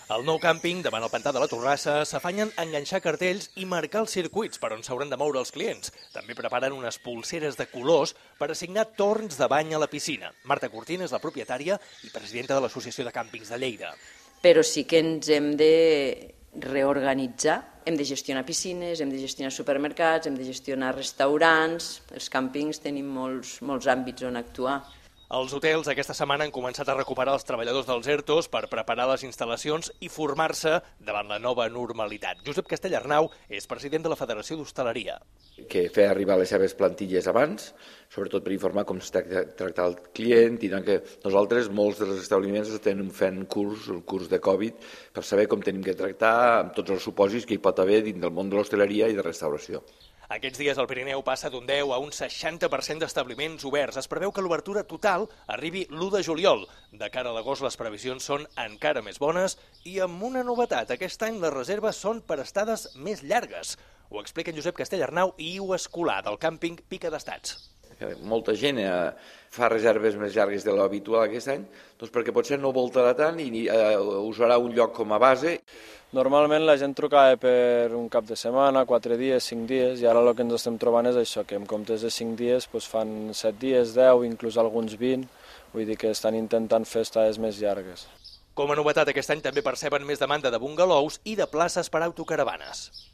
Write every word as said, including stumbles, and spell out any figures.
Al nou càmping, davant el pantà de la Torrassa, s'afanyen a enganxar cartells i marcar els circuits per on s'hauran de moure els clients. També preparen unes pulseres de colors per assignar torns de bany a la piscina. Marta Cortina és la propietària i presidenta de l'Associació de Càmpings de Lleida. Però sí que ens hem de reorganitzar, hem de gestionar piscines, hem de gestionar supermercats, hem de gestionar restaurants. Els càmpings tenim molts, molts àmbits on actuar. Els hotels aquesta setmana han començat a recuperar els treballadors dels ERTOs per preparar les instal·lacions i formar-se davant la nova normalitat. Josep Castellarnau és president de la Federació d'Hostaleria. Que feia arribar les seves plantilles abans, sobretot per informar com s'ha tractat el client, i que nosaltres, molts dels establiments, estem fent curs, el curs de Covid, per saber com tenim que tractar amb tots els supòsits que hi pot haver dins del món de l'hostaleria i de restauració. Aquests dies el Pirineu passa d'un deu a un seixanta per cent d'establiments oberts. Es preveu que l'obertura total arribi l'u de juliol. De cara a l'agost les previsions són encara més bones i amb una novetat. Aquest any les reserves són per estades més llargues. Ho explica Josep Castellarnau i Iu Escolà, del càmping Pica d'Estats. Molta gent fa reserves més llargues de l'habitual aquest any, doncs perquè potser no voltarà tant i usarà un lloc com a base. Normalment la gent trucava per un cap de setmana, quatre dies, cinc dies, i ara el que ens estem trobant és això, que en comptes de cinc dies doncs fan set dies, deu, inclús alguns vint, vull dir que estan intentant fer estades més llargues. Com a novetat, aquest any també perceben més demanda de bungalous i de places per autocaravanes.